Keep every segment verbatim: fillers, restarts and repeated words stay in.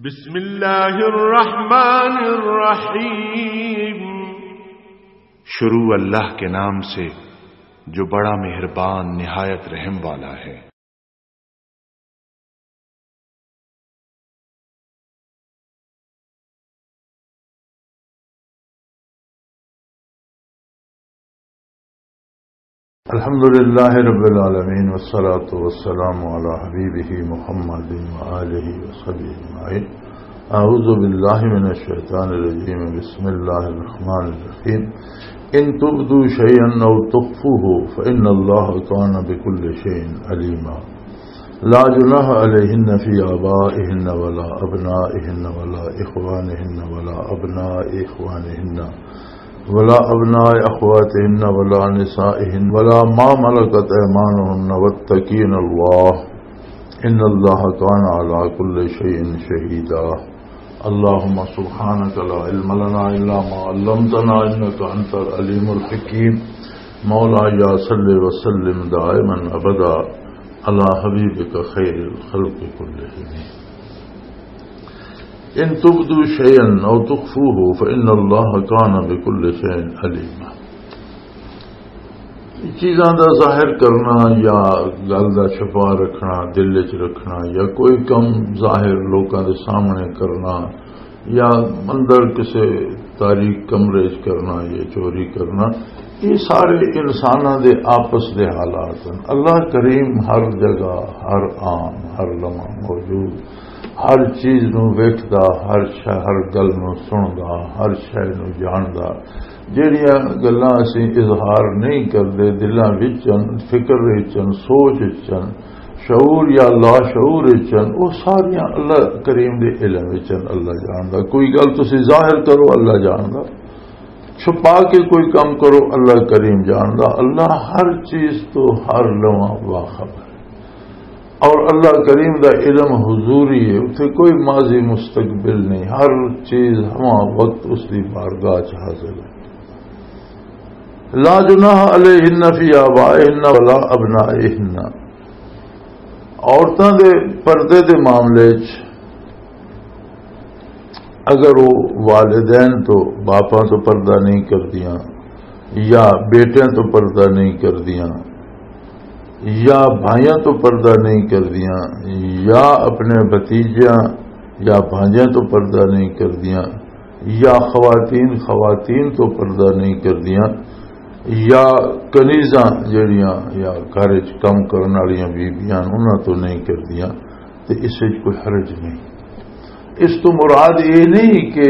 بسم اللہ الرحمن الرحیم۔ شروع اللہ کے نام سے، جو بڑا مہربان، نہایت رحم والا ہے۔ الحمد لله رب العالمين، والصلاة والسلام على حبيبه محمد وآله وصحبه أجمعين. أعوذ بالله من الشيطان الرجيم. بسم الله الرحمن الرحيم. إن تبدوا شيئا أو تخفوه فإن الله كان بكل شيء عليما. لا جناح عليهن في آبائهن ولا أبنائهن ولا إخوانهن ولا أبناء إخوانهن ولا أبناء أخواتهن ولا نسائهن ولا ما ملكت أيمانهن واتقين الله إن الله كان على كل شيء شهيدا. اللهم سبحانك لا علم لنا إلا ما علمتنا إنك أنت العليم الحكيم. مولاي صل وسلم دائما أبدا على حبيبك خير الخلق كلهم. إن تبدوا شيئا أو تخفوه فإن الله كان بكل شيء عليما. چیزاں دا ظاہر کرنا یا گل دا چھپا رکھنا، دل وچ رکھنا، یا کوئی کم ظاہر لوکاں دے سامنے کرنا، یا اندر کسے تاریک کمرے وچ کرنا، یا چوری کرنا، یہ سارے انساناں دے آپس دے حالات ہیں۔ اللہ کریم ہر جگہ، ہر آن، ہر لمحہ موجود، ہر چیز نو ویکھدا، ہر شے، ہر گل نو سندا، ہر شے نو جاندا۔ جہڑیاں گلاں اسی اظہار نہیں کردے، دلاں وچ ہن، فکر وچ ہن، سوچ وچ ہن، شعور یا لاشعور وچ ہن، وہ ساریاں اللہ کریم دے علم وچ ہن، اللہ جاندا۔ کوئی گل تسی ظاہر کرو، اللہ جاندا۔ چھپا کے کوئی کم کرو، اللہ کریم جاندا۔ اللہ ہر چیز تو ہر لمحہ واقف ہے۔ اور اللہ کریم دا علم حضوری ہے، اتھے کوئی ماضی مستقبل نہیں، ہر چیز ہما وقت اس دی بارگاہ چ حاضر ہے۔ لا جناح علیہن فی آبائہن ولا ابنائہن۔ عورتاں دے پردے دے معاملے چ اگر وہ والدین تو، باپاں تو پردہ نہیں کردیاں، یا بیٹیاں تو پردہ نہیں کردیاں، یا بھائیاں تو پردہ نہیں کردیاں، یا اپنے بھتیجیاں یا بھانجیاں تو پردہ نہیں کردیاں، یا خواتین خواتین تو پردہ نہیں کردیاں، یا کنیزاں جڑیاں یا گھر وچ کم کرن والیاں بیبیاں انہاں تو نہیں کردیاں، تے اس وچ کوئی حرج نہیں۔ اس تو مراد یہ نہیں کہ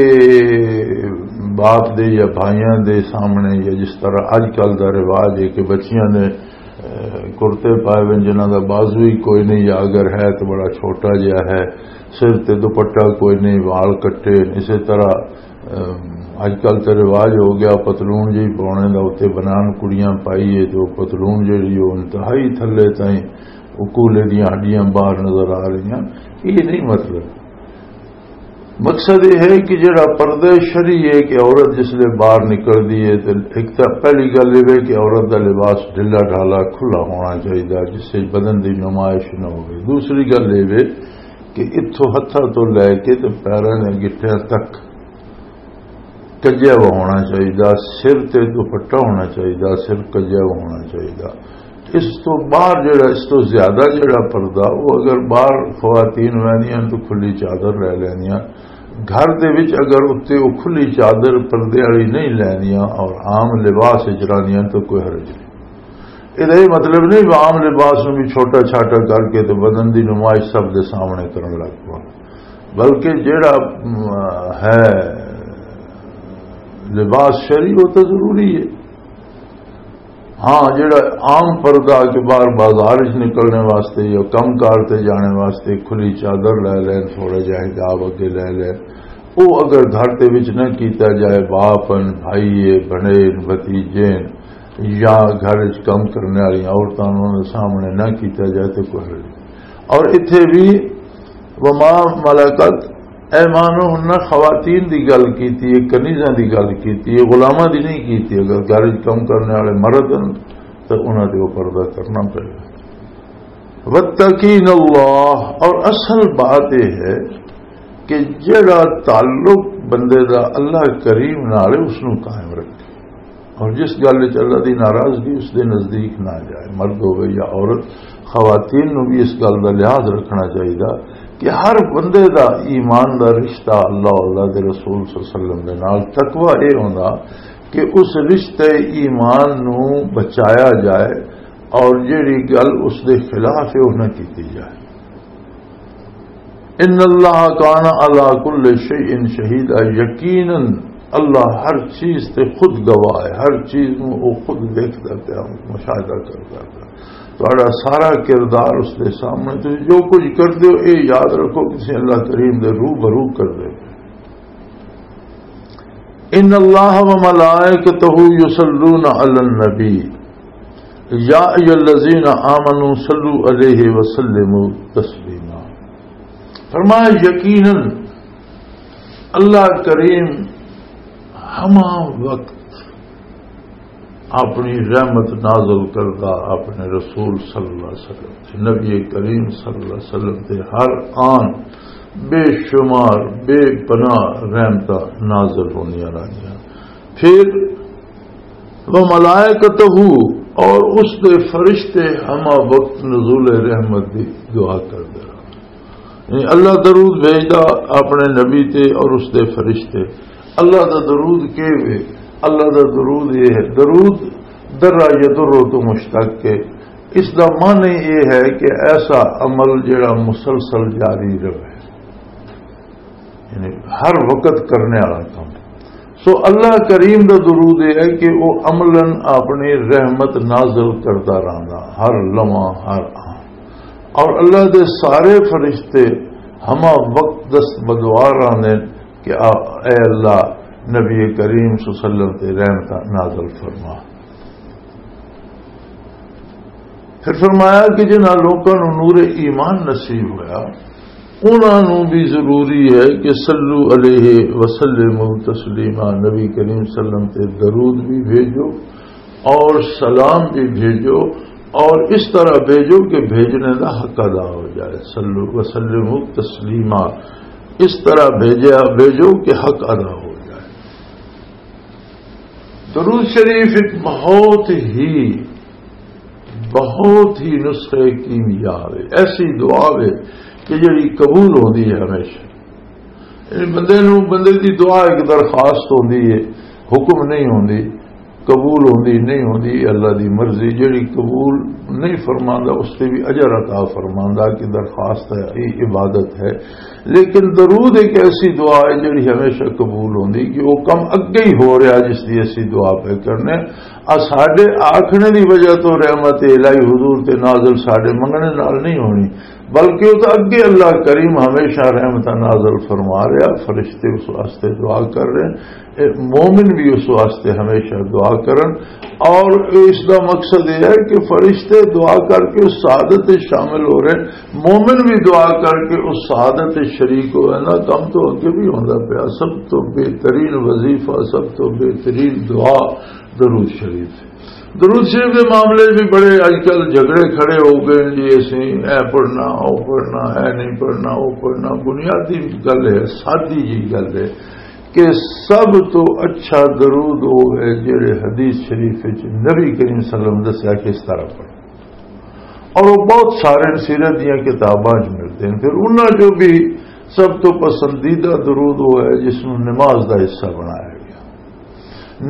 باپ دے یا بھائیاں دے سامنے، یا جس طرح اج کل دا رواج ہے کہ بچیاں نے، اے، کرتے پائے ہوئے، جنہاں دا بازو ہی کوئی نہیں، یا اگر ہے تو بڑا چھوٹا جہا ہے، سر تے دوپٹہ کوئی نہیں، وال کٹے۔ اسی طرح، اے، اج کل تے رواج ہو گیا، پتلون جی پاؤنے دا، اتنے بنان کڑیاں پائی ہے، تو پتلون جی وہ انتہائی تھلے تائیں، وہ کولے دیاں ہڈیاں باہر نظر آ رہیاں۔ یہ نہیں مطلب۔ مقصد یہ ہے کہ جڑا پردہ شرعی ہے کہ عورت جس لے باہر نکلدی ہے، تے ایک تاں پہلی گل یہ ہے کہ عورت دا لباس ڈھلا ڈھالا کھلا ہونا چاہیے، جس سے بدن دی نمائش نہ ہوئے۔ دوسری گل یہ ہے کہ اتھوں ہتھاں تو لے کے تے پیراں دے گٹھیاں تک کجیا ہوا ہونا چاہیے، سر تے دوپٹہ ہونا چاہیے، سر کجیا ہوا ہونا چاہیے۔ اس تو باہر جڑا، اس تو زیادہ جڑا پردہ، وہ اگر باہر خواتین ویندیاں تو کھلی چادر لے لیندیاں، گھر دے وچ اگر اتنے وہ کھلی چادر پردے والی نہیں لیندیاں اور عام لباس وچ رہندیاں تو کوئی حرج نہیں۔ یہ مطلب نہیں کہ عام لباس نوں بھی چھوٹا چھاٹا کر کے تو بدن دی نمائش سب دے سامنے کرن لگ پو، بلکہ جڑا، م، ہے لباس شرعی، وہ تو ضروری ہے۔ ہاں، جڑا عام پردہ کہ باہر بازار وچ نکلنے واسطے یا کم کار تے جانے واسطے کھلی چادر لے لین، تھوڑا جہا حجاب اگے لے لین، او اگر گھر دے وچ نہ کیتا جائے، باپ ہن، بھائی ہے، بھنین، بھتیجے ہن، یا گھر وچ کم کرنے والی عورتاں انہاں دے سامنے نہ کیتا جائے تے کوئی حرج نہیں۔ اور اتھے بھی وما ملکت ایمانہن، خواتین دی گل کیتی ہے، کنیزاں دی گل کیتی ہے، غلاماں دی نہیں کیتی۔ اگر گھر وچ کم کرنے والے مرد ہن تو انہاں دے اوپر پردہ کرنا پڑے۔ واتقین اللہ، اور اصل بات یہ ہے کہ جڑا تعلق بندے دا اللہ کریم نال ہے، اس نوں قائم رکھے، اور جس گل وچ اللہ دی ناراضگی، اس دے نزدیک نہ جائے، مرد ہوے یا عورت۔ خواتین نوں بھی اس گل دا لحاظ رکھنا چاہیے کہ ہر بندے دا ایمان دا رشتہ اللہ، اللہ دے رسول صلی اللہ علیہ وسلم دے نال۔ تقوی اے ہوندا کہ اس رشتے ایمان نوں بچایا جائے، اور جڑی گل اس دے خلاف ہے، وہ نہ کیتی جائے۔ ان اللہ کان علی کل شیء شہیدا، یقیناً اللہ ہر چیز تے خود گواہ ہے، ہر چیز نوں وہ خود دیکھدا پیا، مشاہدہ کردا پیا۔ تہاڈا سارا کردار اس دے سامنے، تسی جو کچھ کردے ہو، اے یاد رکھو کہ تسی اللہ کریم دے روبرو کردے ہو۔ ان اللہ و ملائکتہ یصلون علی النبی، یا ایھا الذین آمنوا صلوا علیہ وسلموا تسلیما۔ فرمایا، یقیناً اللہ کریم ہما وقت اپنی رحمت نازل کردا اپنے رسول صلی اللہ علیہ وسلم تے، نبی کریم صلی اللہ علیہ وسلم تے ہر آن بے شمار، بے پناہ رحمتاں نازل ہوندیاں رہندیاں۔ پھر وہ ملائکتہ، اور اس دے فرشتے ہما وقت نزول رحمت دی دعا کردے رہندے۔ یعنی اللہ درود بھیجدا اپنے نبی تے اور اس دے فرشتے۔ اللہ دا درود کی وے؟ اللہ دا درود یہ ہے، درود درا یدر تو مشتق ہے۔ اس دا معنی یہ ہے کہ ایسا عمل جڑا مسلسل جاری رہے، یعنی ہر وقت کرنے والا کام۔ سو اللہ کریم دا درود یہ ہے کہ وہ عملاً اپنی رحمت نازل کردا رہندا، ہر لمحہ، ہر آن۔ اور اللہ دے سارے فرشتے ہما وقت دست بدعا رہندے کہ آ، اے اللہ، نبی کریم صلی اللہ علیہ وسلم تے رحمتاں نازل فرما۔ پھر فرمایا کہ جنہاں لوکاں نوں نور ایمان نصیب ہویا، انہاں نوں بھی ضروری ہے کہ صلو علیہ وسلم تسلیما، نبی کریم صلی اللہ علیہ وسلم تے درود بھی بھیجو اور سلام بھی بھیجو، اور اس طرح بھیجو کہ بھیجنے دا حق ادا ہو جائے۔ صلو وسلم تسلیما، اس طرح بھیجا، بھیجو کہ حق ادا ہو جائے۔ درود شریف ایک بہت ہی، بہت ہی نسخے کیمیا ہے، ایسی دعا ہے کہ جڑی قبول ہوندی ہے ہمیشہ۔ یعنی بندے نوں، بندے دی دعا ایک درخواست ہوندی ہے، حکم نہیں ہوندی، قبول ہوندی نہیں ہوندی، اللہ دی مرضی۔ جڑی قبول نہیں فرماندا، اس تے بھی اجر عطا فرماندا کہ درخواست ہے، یہ عبادت ہے۔ لیکن درود ایک ایسی دعا ہے جڑی ہمیشہ قبول ہوندی، کہ وہ کم اگے ہی ہو رہا جس دی اسی دعا پہ کرنے۔ آ ساڈے آکھنے دی وجہ تو رحمت الہی حضور تے نازل ساڈے منگنے نال نہیں ہونی، بلکہ وہ تو اگے اللہ کریم ہمیشہ رحمتاں نازل فرما رہا، فرشتے اس واسطے دعا کر رہے ہیں، اے مومن بھی اس واسطے ہمیشہ دعا کرن۔ اور اس دا مقصد یہ ہے کہ فرشتے دعا کر کے اس سعادت وچ شامل ہو رہے ہیں، مومن بھی دعا کر کے اس سعادت وچ شریک ہو رہے ہیں۔ کم تو اگے بھی ہوندا پیا، سب تو بہترین وظیفہ، سب تو بہترین دعا درود شریف ہے۔ درود شریف دے معاملے بھی بڑے اج کل جھگڑے کھڑے ہو گئے جی، اسی اے پڑھنا، او پڑھنا، اے نہیں پڑھنا، او پڑھنا۔ بنیادی گل ہے، سادی جی گل ہے کہ سب تو اچھا درود وہ ہے جڑے حدیث شریف وچ نبی کریم صلی اللہ علیہ وسلم دسیا کہ اس طرح پڑھو۔ اور وہ بہت سارے سیرت دیاں کتاباں وچ ملتے ہیں۔ پھر انہاں جو بھی سب تو پسندیدہ درود وہ ہے جس نوں نماز دا حصہ بنایا گیا۔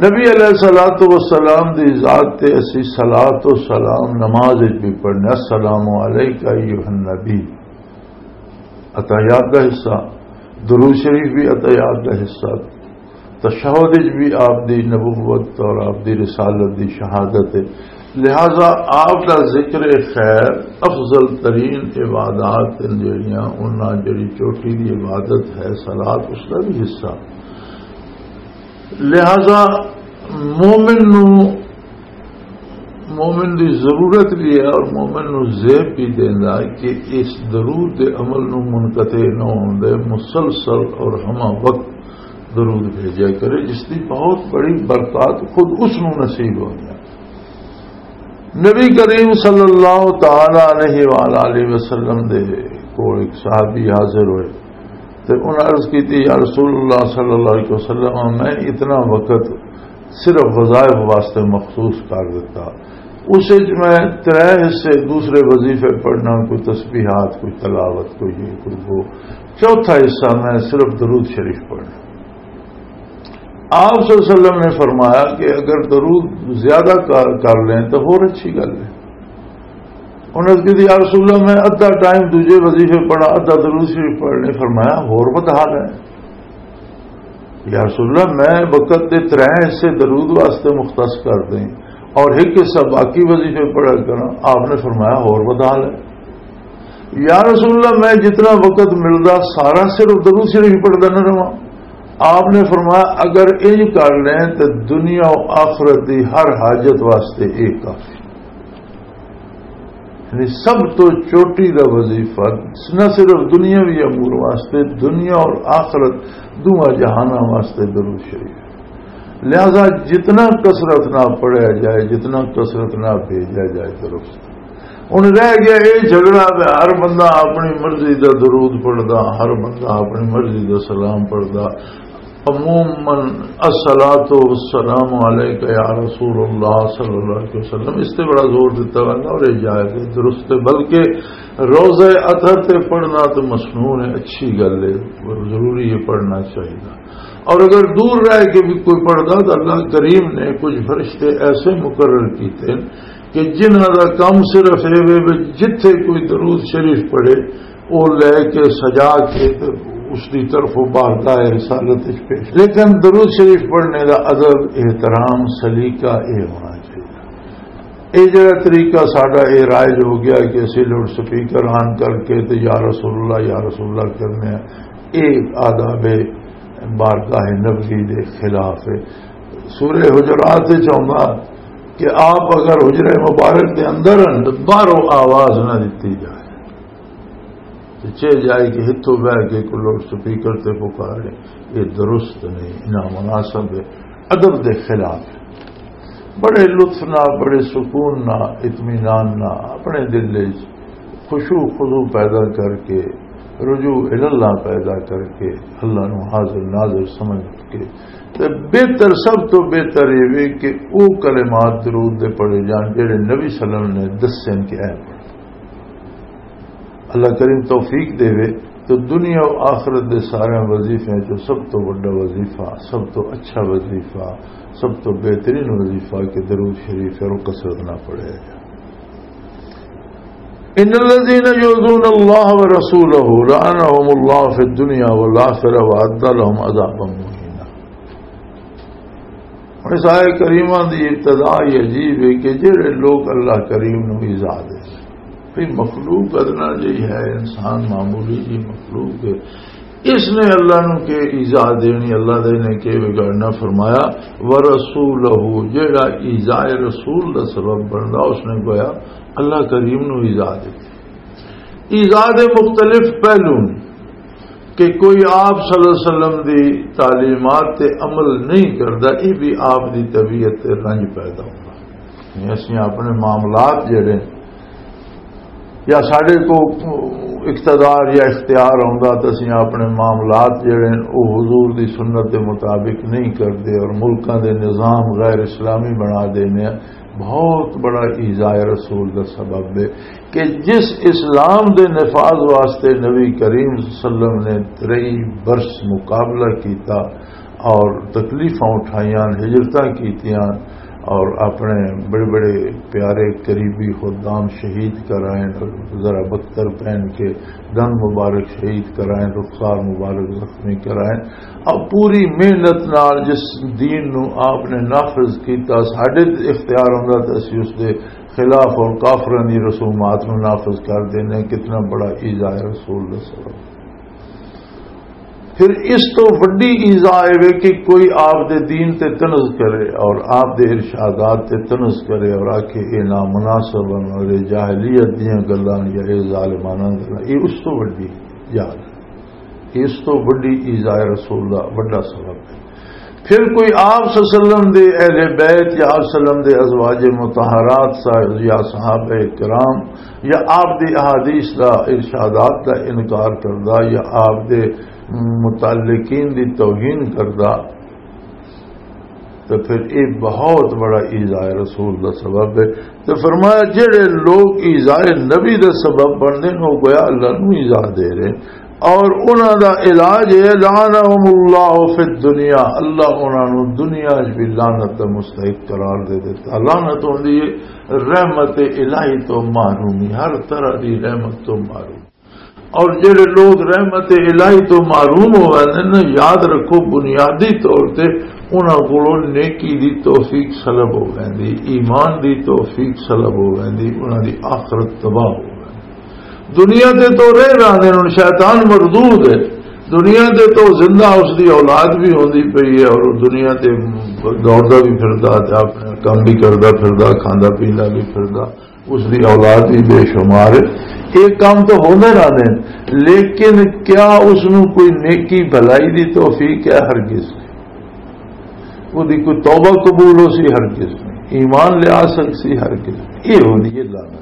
نبی علیہ الصلوۃ والسلام دی ذات تے اسی صلوۃ و سلام نماز وچ بھی پڑھنے، السلام علیک ایھا النبی۔ عطیات دا حصہ، درود شریف بھی عطیات دا حصہ، تشہد وچ بھی آپ دی نبوت اور آپ دی رسالت دی شہادت ہے۔ لہذا آپ دا ذکر خیر افضل ترین عبادات ہیں جڑیاں، انہاں جڑی چوٹی دی عبادت ہے صلوۃ، اس دا بھی حصہ۔ لہذا مومن نو، مومن دی ضرورت بھی ہے اور مومن نو زیب بھی دیندا ہے کہ اس درود دے عمل نو منقطع نہ ہون دے، مسلسل اور ہمہ وقت درود بھیجا کرے، جس دی بہت بڑی برکات خود اس نو نصیب ہوندی ہے۔ نبی کریم صلی اللہ تعالی علیہ وآلہ وسلم دے کول ایک صحابی حاضر ہوئے، تے انہاں عرض کیتی، "یا رسول اللہ صلی اللہ علیہ وسلم، میں اتنا وقت صرف وظائف واسطے مخصوص کر دیتا، اس وچ میں ترے حصے دوسرے وظیفے پڑھنا، کوئی تسبیحات، کوئی تلاوت، کوئی یہ، کوئی وہ، چوتھا حصہ میں صرف درود شریف پڑھنا۔" آپ صلی اللہ علیہ وسلم نے فرمایا کہ اگر درود زیادہ کر کر لیں تو ہور اچھی گل ہے۔ انہوں نے کہا، "یا رسول اللہ، میں ادھا ٹائم دوجے وظیفے پڑھا، ادھا درود شریف پڑھ لیں۔" فرمایا، "ہور ودھا لے۔" "یا رسول اللہ، میں وقت دے ترے حصے درود واسطے مختص کر دیں اور ایک حصہ باقی وظیفے پڑھا کرنا۔" آپ نے فرمایا، "ہور ودھا لے۔" "یا رسول اللہ، میں جتنا وقت ملدا سارا صرف درود شریف پڑھدا نہ رہواں۔" آپ نے فرمایا، "اگر انج کر لیں تو دنیا و آخرت دی ہر حاجت واسطے ایک کافی۔" یعنی سب تو چوٹی دا وظیفہ، نہ صرف دنیاوی امور واسطے، دنیا اور آخرت، دونوں جہاناں واسطے درود شریف۔ لہذا جتنا کثرت نہ پڑھیا جائے، جتنا کثرت نہ بھیجا جائے، درست۔ ہن رہ گیا اے جھگڑا کہ ہر بندہ اپنی مرضی دا درود پڑھدا، ہر بندہ اپنی مرضی دا سلام پڑھدا۔ عموماً الصلاۃ والسلام علیک یا رسول اللہ صلی اللہ علیہ وسلم، اس تے بڑا زور دیتا ویندا اور یہ جائز ہے، درست ہے۔ بلکہ روضہ اطہر تے پڑھنا تو مسنون ہے، اچھی گل ہے، ضروری ہے، پڑھنا چاہیے۔ اور اگر دور رہ کے بھی کوئی پڑھدا تو اللہ کریم نے کچھ فرشتے ایسے مقرر کیتے ہیں کہ جنہاں دا کام صرف اے وے وے جتھے کوئی درود شریف پڑھے، او لے کے سجا کے تے اس دی طرف بارگاہ رسالت وچ پیش۔ لیکن درود شریف پڑھنے دا ادب، احترام، سلیقہ اے ہونا چاہیے۔ اے جڑا طریقہ ساڈا اے رائج ہو گیا کہ اسی لوڈ سپیکر آن کر کے تے یا رسول اللہ، یا رسول اللہ کرنے ہیں، اے آداب بارگاہ نبوی دے خلاف ہے۔ سورہ حجرات وچ آوندا کہ آپ اگر حجرہ مبارک دے اندر ہن تے باہروں آواز نہ دتی جائے، تے چہ جائے کہ ہتھوں بہ کے کوئی لوڈ سپیکر تے پکارے، یہ درست نہیں، نامناسب ہے، ادب دے خلاف ہے۔ بڑے لطف نال، بڑے سکون نال، اطمینان نال اپنے دل وچ خشوع خضوع پیدا کر کے، رجوع الاللہ پیدا کر کے، اللہ نو حاضر ناظر سمجھ کے، تے بہتر، سب تو بہتر یہ وے کہ او کلمات درود دے پڑھے جان جڑے نبی صلی اللہ علیہ وسلم نے دسے کہ اے پڑھو۔ اللہ کریم توفیق دے وے۔ تو دنیا و آخرت دے سارے وظیفے چوں سب تو بڑا وظیفہ، سب تو اچھا وظیفہ، سب تو بہترین وظیفہ کہ درود شریف ہے، اور کثرت نہ پڑھے۔ ان الذين يؤذون الله ورسوله لعنهم الله في الدنيا والآخرة وأعد لهم عذابا مهينا۔ ہن اس آیت کریمہ دی ابتدا ہی عجیب ہے کہ جڑے لوگ اللہ کریم نو ایذا دے، بھئی مخلوق ادنا جہی ہے، انسان معمولی جی مخلوق ہے، اس نے اللہ نو کہ ایذا دینی، اللہ دے نے کہ بگاڑنا؟ فرمایا، "ورسولہ"، جڑا ایذا رسول دا سبب بندا، اس نے گویا اللہ کریم نو ایذا دے۔ ایذا دے مختلف پہلو نے کہ کوئی آپ صلی اللہ علیہ وسلم دی تعلیمات تے عمل نہیں کردا، یہ بھی آپ دی طبیعت تے رنج پیدا ہوندا۔ یعنی اسی اپنے معاملات جڑے یا ساڈے کو اقتدار یا اختیار ہوندا تے اسی اپنے معاملات جڑے نے او حضور دی سنت دے مطابق نہیں کردے اور ملکاں دے نظام غیر اسلامی بنا دینے۔ بہت بڑا ایذائے رسول دا سبب ہے کہ جس اسلام دے نفاذ واسطے نبی کریم صلی اللہ علیہ وسلم نے ترئی برس مقابلہ کیتا اور تکلیفاں اٹھائیاں، ہجرتاں کیتیاں اور اپنے بڑے بڑے پیارے قریبی خدام شہید کرائے، ذرا بختر پہن کے دند مبارک شہید کرائے، رخسار مبارک زخمی کرائے، اور پوری محنت نال جس دین نو آپ نے نافذ کیتا، ساڈے تے اختیار ہوندا تے اسی اس دے خلاف اور کافراں دی رسومات نو نافذ کر دینے۔ کتنا بڑا ایذائے رسول دا سبب۔ پھر اس تو وڈی ایذا اے وے کہ کوئی آپ دے دین تے طنز کرے اور آپ دے ارشادات تے طنز کرے اور آکھے، "اے نامناسب ہن اور اے جاہلیت دیاں گلاں یا اے ظالمانہ گلاں"، اے اس تو وڈی یاد ہے۔ اس تو وڈی ایذائے رسول دا وڈا سبب ہے۔ پھر کوئی آپ صلی اللہ علیہ وسلم دے اہل بیت یا آپ صلی اللہ علیہ وسلم دے ازواج مطہرات سا-، یا صحابہ کرام یا آپ دی احادیث دا، ارشادات دا انکار کردا یا آپ دے متعلقین دی توہین کردا، تو پھر یہ بہت بڑا ایذائے رسول دا سبب ہے۔ تو فرمایا، جڑے لوگ ایذائے نبی دا سبب بندے نے، وہ گویا اللہ نو ایذا دے رہے۔ اور انہاں دا علاج ہے، لعنہم اللہ فی الدنیا، اللہ انہاں نو دنیا وچ بھی لعنت دا مستحق قرار دے دیتا۔ لعنت ہوندی ہے رحمت الہی تو محرومی، ہر طرح دی رحمت تو محروم۔ اور جڑے لوگ رحمت الہی تو محروم ہو ویندے نے، یاد رکھو، بنیادی طور تے انہاں کولوں نیکی دی توفیق سلب ہو ویندی، ایمان دی توفیق سلب ہو ویندی، انہاں دی آخرت تباہ ہو ویندی۔ دنیا تے تو رہ رہندے نے، شیطان مردود ہے۔ دنیا تے تو زندہ اس دی اولاد بھی ہوندی پئی ہے اور وہ دنیا تے دوڑدا بھی پھردا تے اپنا کم بھی کردا پھردا، کھاندا پیندا بھی پھردا۔ اس دی اولاد بھی بے شمار ہے۔ یہ کام تو ہوندے رہندے نے، لیکن کیا اس نوں کوئی نیکی بھلائی دی توفیق ہے؟ ہرگز نہیں۔ وہ دی کوئی توبہ قبول ہو سی؟ ہرگز نہیں۔ ایمان لیا سک سی؟ ہرگز نہیں۔ یہ ہوندی ہے لعنت۔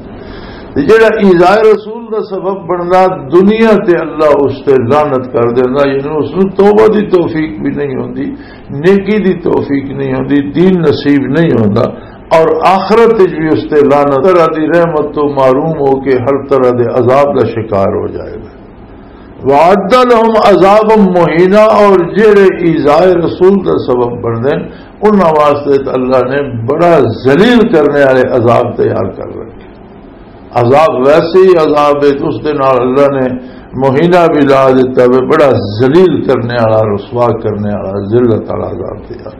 تے جڑا ایذائے رسول دا سبب بندا، دنیا تے اللہ اس تے لعنت کر دیندا، یعنی اس نوں توبہ دی توفیق بھی نہیں ہوندی، نیکی دی توفیق نہیں ہوندی، دین نصیب نہیں ہوندا، اور آخرت وچ بھی اس تے لعنت، طرح دی رحمت تو محروم ہو کے ہر طرح دے عذاب دا شکار ہو جائے گا۔ وَأَعَدَّ لَهُمْ عَذَابًا مُهِينًا، اور جڑے ایذائے رسول دا سبب بندے نے، انہاں واسطے تے اللہ نے بڑا ذلیل کرنے والے عذاب تیار کر رکھے۔ عذاب ویسے ہی عذاب ہے، اس دے نال اللہ نے مہینہ بھی لا دیتا ہے، بڑا ذلیل کرنے والا، رسوا کرنے والا، ذلت والا عذاب تیار۔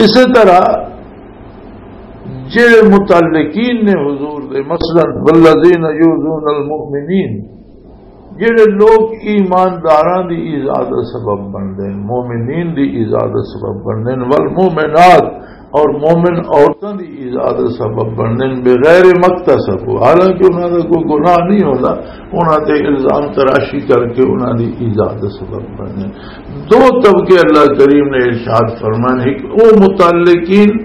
اسی طرح جڑے متعلقین نے حضور دے، مثلاً والذین یؤذون المؤمنین، جڑے لوگ ایمانداراں دی ایذا دا سبب بندے نے، مومنین دی ایذا دا سبب بندے نے، والمؤمنات، اور مومن عورتاں دی ایذا دا سبب بندے نے، بغیر مکتسب، حالانکہ انہاں دا کوئی گناہ نہیں ہوندا، انہاں تے الزام تراشی کر کے انہاں دی ایذا دا سبب بندے نے۔ دو طبقے اللہ کریم نے ارشاد فرمائے، ایک او متعلقین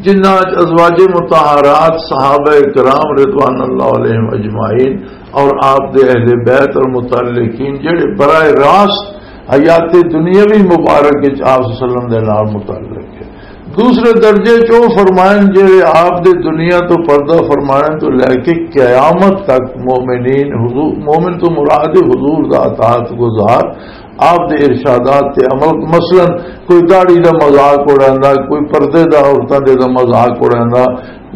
جنہاں وچ ازواج مطہرات، صحابہ کرام رضوان اللہ علیہم اجمعین، اور آپ دے اہل بیت اور متعلقین جڑے براہ راست حیات دنیاوی مبارک وچ آپ صلی اللہ علیہ وسلم دے نال متعلق ہے۔ دوسرے درجے چ او فرمائن جڑے آپ دے دنیا تو پردہ فرمانے تو لے کے قیامت تک مومنین، حضور، مومن تو مراد حضور دا اطاعت گزار، آپ دے ارشادات تے عمل، مثلاً کوئی داڑھی دا مذاق اڑاندا، کوئی پردے دا عورتاں دے دا مذاق اڑاندا،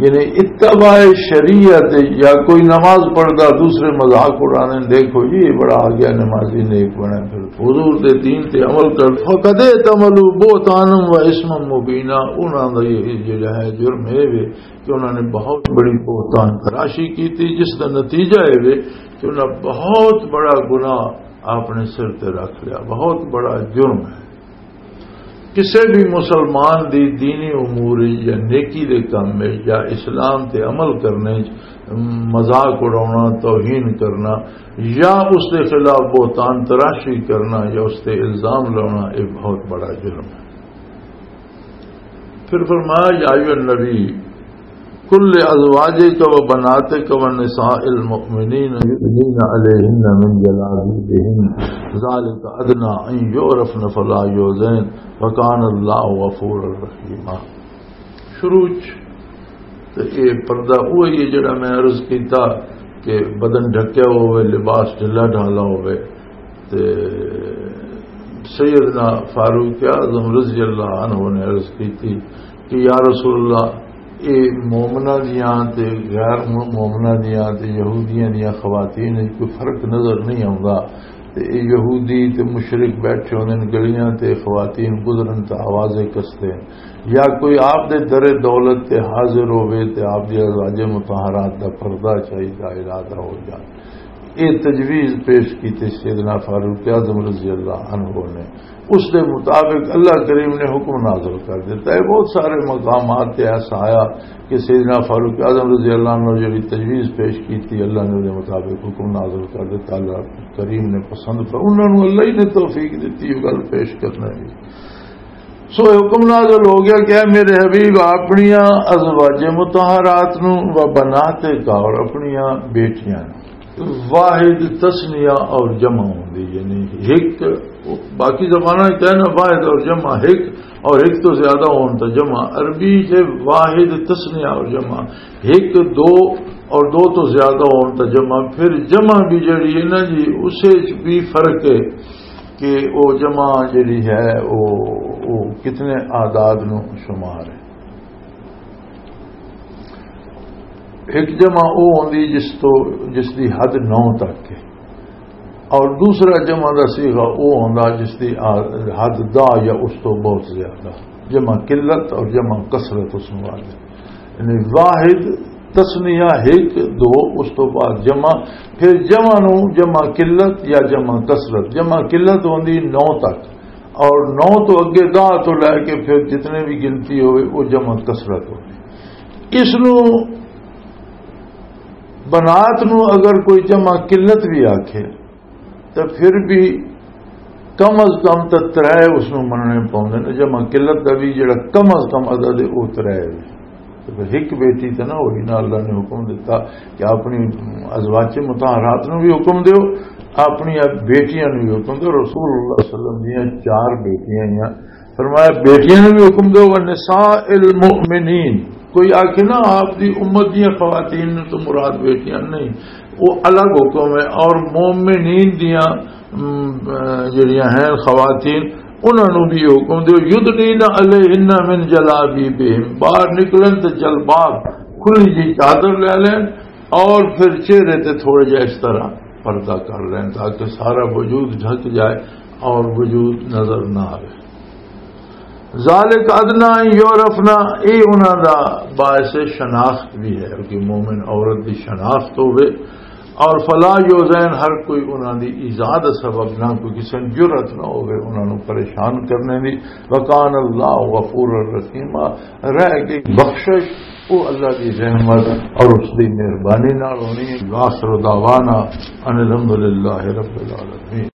یعنی اتباع شریعت، یا کوئی نماز پڑھدا دوسرے مذاق اڑانے، دیکھو جی یہ بڑا آ گیا نمازی، نیک بنے، پھر حضور دے دین تے عمل کر۔ فقد احتملوا بہتانا و اثما مبینا، انہاں دا یہ جڑا ہے جرم ہے وے کہ انہاں نے بہت بڑی بہتان تراشی کی تھی، جس دا نتیجہ ہے وے کہ انہاں بہت بڑا گناہ اپنے سر تے رکھ لیا، بہت بڑا جرم ہے۔ کسے بھی مسلمان دی دینی امور وچ یا نیکی دے کم وچ یا اسلام تے عمل کرنے وچ مذاق اڑاونا، توہین کرنا یا اس دے خلاف بہتان تراشی کرنا یا اس تے الزام لاؤنا، یہ بہت بڑا جرم ہے۔ پھر فرمایا، یا ایھا النبی، کل ازواجک و بناتک و نساء المؤمنین یدنین علیہن من جلابیبہن، ذالک ادنی ان یعرفن فلا یؤذین، وکان اللہ غفورا رحیما۔ شروع چ تے اے پردہ وہی ہے جڑا میں عرض کیتا کہ بدن ڈھکیا ہوئے، لباس ڈھلا ڈھالا ہوئے۔ تے سیدنا فاروق اعظم رضی اللہ عنہ نے عرض کی تھی کہ یا رسول اللہ، اے مومنہ دیاں تے غیر مومنہ دیاں تے یہودیاں دیاں خواتین وچ کوئی فرق نظر نہیں آوندا۔ تے اے یہودی تے مشرک بیٹھے ہوندے نے گلیاں تے، خواتین گزرن تے آوازیں کسدے نے، یا کوئی آپ دے در دولت تے حاضر ہووے تے آپ دی ازواج مطہرات دا پردہ چاہیدا ارادہ ہو جائے۔ اے تجویز پیش کیتے سیدنا فاروق اعظم رضی اللہ عنہ نے۔ اس دے مطابق اللہ کریم نے حکم نازل کر دیتا ہے۔ بہت سارے مقامات تے ایسا آیا کہ سیدنا فاروق اعظم رضی اللہ عنہ جڑی تجویز پیش کی تھی، اللہ نے اس دے مطابق حکم نازل کر دیتا۔ اللہ کریم نے پسند کر، انہاں نوں اللہ ہی نے توفیق دتی یہ گل پیش کرنے دی۔ سو حکم نازل ہو گیا کہ اے میرے حبیب، اپنیاں ازواج مطہرات نوں، و بناتک، اور اپنیاں بیٹیاں نوں، واحد تثنیہ اور جمع ہوندی، یعنی ایک، باقی زباناں کہنا واحد اور جمع ایک، اور ایک تو زیادہ ہون تو جمع۔ عربی سے واحد تثنیہ اور جمع، ایک دو اور دو تو زیادہ ہون تو جمع۔ پھر جمع بھی جڑی ہے نا جی، اسے چ بھی فرق ہے کہ وہ جمع جڑی ہے، وہ، وہ کتنے اعداد نو شمار ہے۔ ایک جمع وہ ہوندی جس تو، جس دی حد نو تک ہے، اور دوسرا جمع دا صیغہ وہ ہوندا جس دی حد دا یا اس تو بہت زیادہ۔ جمع قلت اور جمع کثرت اس میں واضح۔ یعنی واحد، تثنیہ ایک، دو، اس تو بعد جمع، پھر جمع نو جمع قلت یا جمع کثرت۔ جمع قلت ہوندی نو تک، اور نو تو اگے، دا تو لے کے پھر جتنے بھی گنتی ہوئے، وہ جمع کثرت ہوندی۔ اس نو، بنات نو اگر کوئی جمع قلت بھی آکھے، تو پھر بھی کم از کم تو ترے اس نو مننے پاؤندے نے۔ جمع قلت دا بھی جڑا کم از کم عدد ہے، وہ ترے ہے۔ تو پھر ایک بیٹی تے نہ ہوئی، نہ اللہ نے حکم دیتا کہ اپنی ازواج مطہرات نو بھی حکم دیو، اپنی بیٹیاں نو بھی حکم دیو۔ رسول اللہ صلی اللہ علیہ وسلم دیاں چار بیٹیاں ہیں، فرمایا، بیٹیاں نو بھی حکم دیو، "ونساء المؤمنین۔" کوئی آکھے نا، آپ دی امت دیاں خواتین نو تو مراد بیٹیاں نہیں، وہ الگ حکم ہے۔ اور مومنین دیاں، ام، جڑیاں ہیں خواتین، انہاں نو بھی حکم دیو، "یدنین علیہن من جلابیبہن۔" باہر نکلن تے جلباب، کھلی جی چادر لے لین، اور پھر چہرے تے تھوڑا جہا اس طرح پردہ کر لین، تاکہ سارا وجود ڈھک جائے اور وجود نظر نہ آئے۔ ذالک ادنی ان یعرفن، اے انہاں دا باعث شناخت بھی ہے کہ مومن عورت دی شناخت ہوے، اور فلا یؤذین، ہر کوئی انہاں دی ایذا دا سبب نہ، کوئی کسی نوں جرأت نہ ہوے انہاں نوں پریشان کرنے دی۔ وکان اللہ غفور الرحیم، رہ کے بخشش وہ اللہ دی رحمت اور اس دی مہربانی نال ہونی ہے۔ وآخر دعوانا ان الحمدللہ رب العالمین۔